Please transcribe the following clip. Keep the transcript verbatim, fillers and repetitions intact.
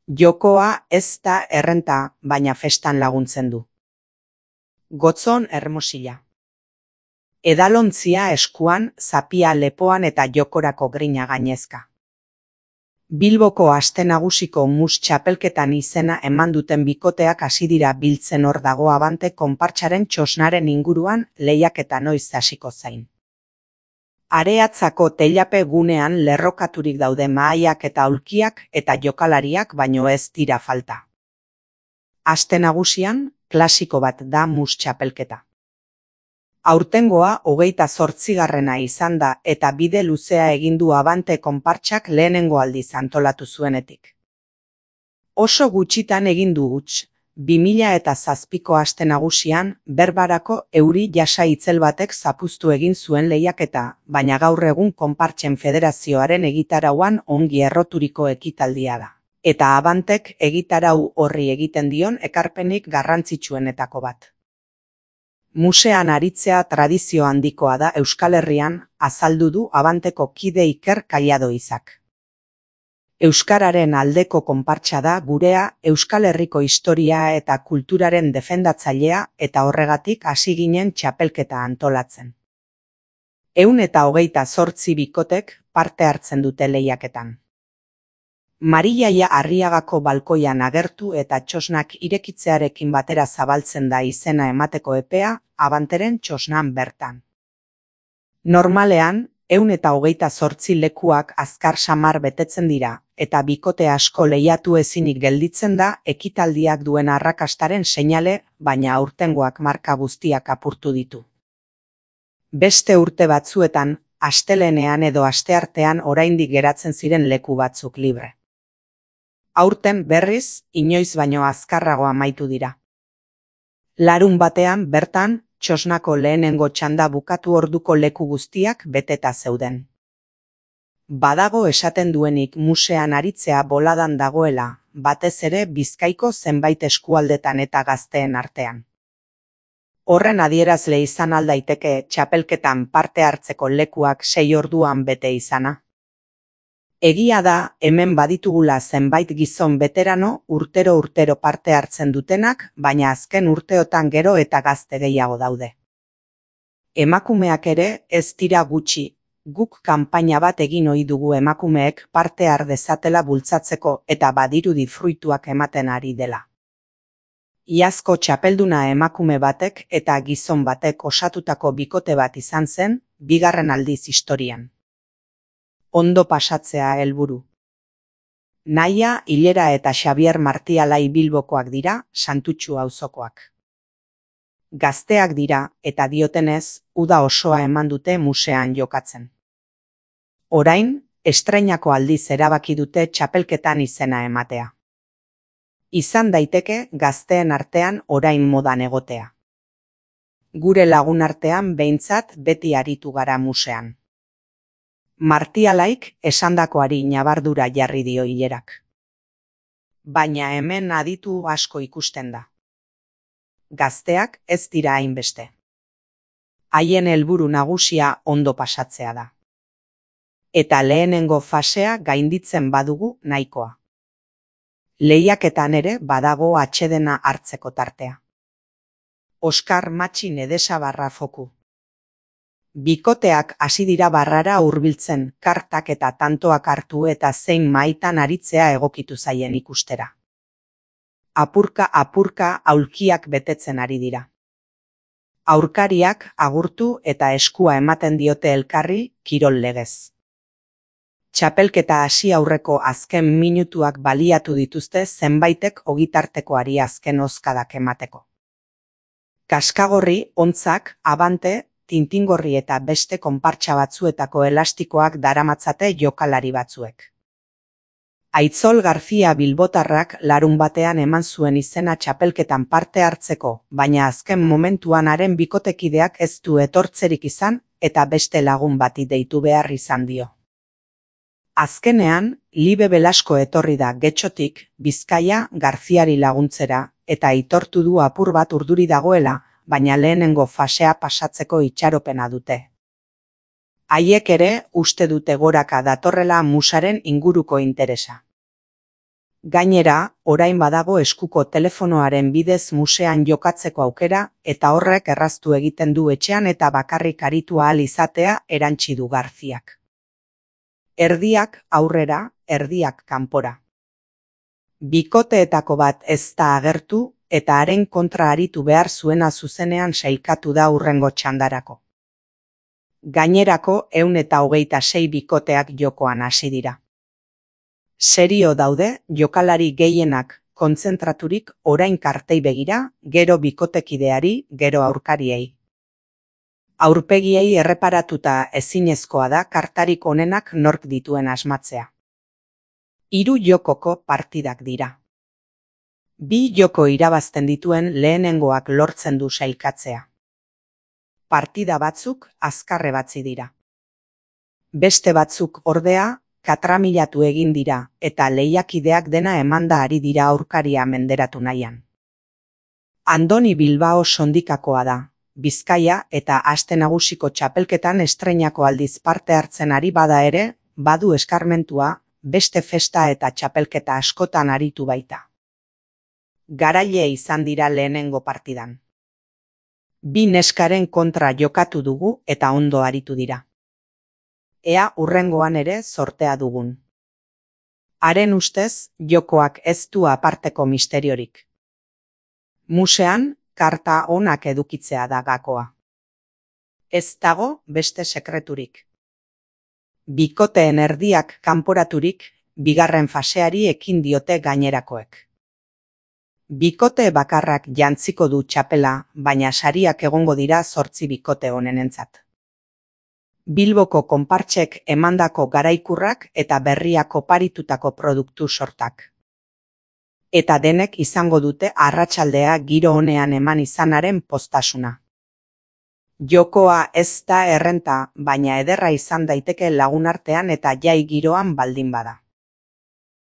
Jokoa ez da errenta, baina festan laguntzen du. Gotzon Hermosilla. Edalontzia eskuan, zapia lepoan eta jokorako grina gainezka. Bilboko aste nagusiko mus txapelketan izena eman duten bikoteak hasi dira biltzen hor dago abante konpartsaren txosnaren inguruan lehiaketa noiz hasiko zain. Areatzako teilape gunean lerrokaturik daude mahaiak eta aulkiak eta jokalariak baino ez dira falta. Aste nagusian, klasiko bat da mus txapelketa. Aurtengoa hogeita zortzigarrena izan da eta bide luzea egin du abante konpartsak lehenengo aldiz antolatu zuenetik. Oso gutxitan egin du huts, bi mila eta zazpiko aste nagusian berbarako euri jasa itzel batek zapuztu egin zuen lehiaketa, baina gaur egun konpartsen federazioaren egitarauan ongi erroturiko ekitaldia da. Eta abantek egitarau horri egiten dion ekarpenik garrantzitsuenetako bat. Musean aritzea tradizio handikoa da Euskal Herrian, azaldu du abanteko kide Iker Kaiado Izak. Euskararen aldeko konpartsa da gurea Euskal Herriko historia eta kulturaren defendatzailea eta horregatik hasi ginen txapelketa antolatzen. Ehun eta hogeita zortzi bikotek parte hartzen dute lehiaketan. Mariaia Arriagako balkoian agertu eta txosnak irekitzearekin batera zabaltzen da izena emateko epea abanteren txosnan bertan. Normalean, ehun eta hogeita zortzi lekuak azkar samar betetzen dira, eta bikote asko lehiatu ezinik gelditzen da ekitaldiak duen arrakastaren seinale, baina aurtengoak marka guztiak apurtu ditu. Beste urte batzuetan, astelenean edo asteartean oraindik geratzen ziren leku batzuk libre. Aurten berriz, inoiz baino azkarrago amaitu dira. Larun batean bertan, txosnako lehenengo txanda bukatu orduko leku guztiak beteta zeuden. Badago esaten duenik musean aritzea boladan dagoela, batez ere Bizkaiko zenbait eskualdetan eta gazteen artean. Horren adierazle izan aldaiteke txapelketan parte hartzeko lekuak sei orduan bete izana. Egia da, hemen baditugula zenbait gizon beterano urtero-urtero parte hartzen dutenak, baina azken urteotan gero eta gazte gehiago daude. Emakumeak ere ez dira gutxi, guk kanpaina bat egin ohi dugu emakumeek parte har dezatela bultzatzeko eta badirudi fruituak ematen ari dela. Iazko txapelduna emakume batek eta gizon batek osatutako bikote bat izan zen, bigarren aldiz historian. Ondo pasatzea helburu. Naia, Hilera eta Xabier Martialai Bilbokoak dira, Santutxu auzokoak. Gazteak dira eta diotenez, uda osoa eman dute musean jokatzen. Orain, estreinako aldiz erabaki dute txapelketan izena ematea. Izan daiteke gazteen artean orain modan egotea. Gure lagun artean behintzat beti aritu gara musean. Martialaik esandakoari ñabardura jarri dio Hilerak. Baina hemen aditu asko ikusten da. Gazteak ez dira hainbeste. Haien helburu nagusia ondo pasatzea da. Eta lehenengo fasea gainditzen badugu nahikoa. Lehiaketan ere badago atsedena hartzeko tartea. Oskar Matxin Edesabarra foku. Bikoteak hasi dira barrara hurbiltzen, kartak eta tantoak hartu eta zein maitan aritzea egokitu zaien ikustera. Apurka-apurka aulkiak betetzen ari dira. Aurkariak agurtu eta eskua ematen diote elkarri kirol legez. Txapelketa hasi aurreko azken minutuak baliatu dituzte zenbaitek ogitartekoari azken ozkadak emateko. Kaskagorri, ontzak, abante, tintingorri eta beste konpartsa batzuetako elastikoak daramatzate jokalari batzuek. Aitzol García bilbotarrak larun batean eman zuen izena txapelketan parte hartzeko, baina azken momentuan haren bikotekideak ez du etortzerik izan eta beste lagun bati deitu behar izan dio. Azkenean, Libe Belasko etorri da Getxotik, Bizkaia Garziari laguntzera eta aitortu du apur bat urduri dagoela, baina lehenengo fasea pasatzeko itxaropena dute. Haiek ere uste dute goraka datorrela musaren inguruko interesa. Gainera, orain badago eskuko telefonoaren bidez musean jokatzeko aukera eta horrek erraztu egiten du etxean eta bakarrik aritu ahal izatea, erantsi du Garziak. Erdiak aurrera, erdiak kanpora. Bikoteetako bat ez da agertu eta haren kontra aritu behar zuena zuzenean sailkatu da hurrengo txandarako. Gainerako ehun eta hogeita sei bikoteak jokoan hasi dira. Serio daude jokalari gehienak kontzentraturik orain kartei begira, gero bikotekideari, gero aurkariei. Aurpegiei erreparatuta ezinezkoa da kartarik onenak nork dituen asmatzea. Hiru jokoko partidak dira. Bi joko irabazten dituen lehenengoak lortzen du sailkatzea. Partida batzuk azkarre batzi dira. Beste batzuk ordea, katramilatu egin dira eta lehiakideak dena emanda ari dira aurkaria menderatu nahian. Andoni Bilbao Sondikakoa da, Bizkaia eta Aste Nagusiko txapelketan estreinako aldiz parte hartzen ari bada ere, badu eskarmentua, beste festa eta txapelketa askotan aritu baita. Garaile izan dira lehenengo partidan. Bi neskaren kontra jokatu dugu eta ondo aritu dira. Ea hurrengoan ere zortea dugun. Haren ustez, jokoak ez du aparteko misteriorik. Musean, karta onak edukitzea da gakoa. Ez dago beste sekreturik. Bikoteen erdiak kanporaturik, bigarren faseari ekin diote gainerakoek. Bikote bakarrak jantziko du txapela, baina sariak egongo dira zortzi bikote honenentzat. Bilboko konpartsek emandako garaikurrak eta berriak oparitutako produktu sortak. Eta denek izango dute arratsaldea giro onean eman izanaren poztasuna. Jokoa ez da errenta, baina ederra izan daiteke lagunartean eta jai giroan baldin bada.